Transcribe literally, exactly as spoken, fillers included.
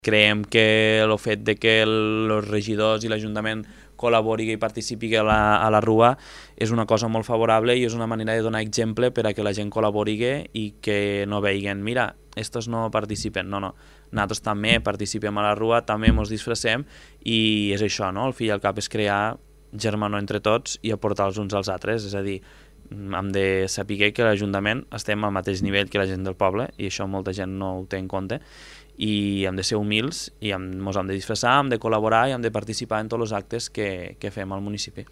Creiem que el fet de que els regidors i l'Ajuntament col·labori i participi a la, a la Rua és una cosa molt favorable i és una manera de donar exemple per a que la gent col·labori i que no veiguen, mira, estos no participen, no, no, nosaltres també participem a la Rua, també ens disfressem i és això, no? El fi i al cap és crear germanor entre tots i aportar els uns als altres, és a dir, hem de saber que l'Ajuntament estem al mateix nivell que la gent del poble i això molta gent no ho té en compte i hem de ser humils i ens hem de disfressar, hem de col·laborar i hem de participar en tots els actes que, que fem al municipi.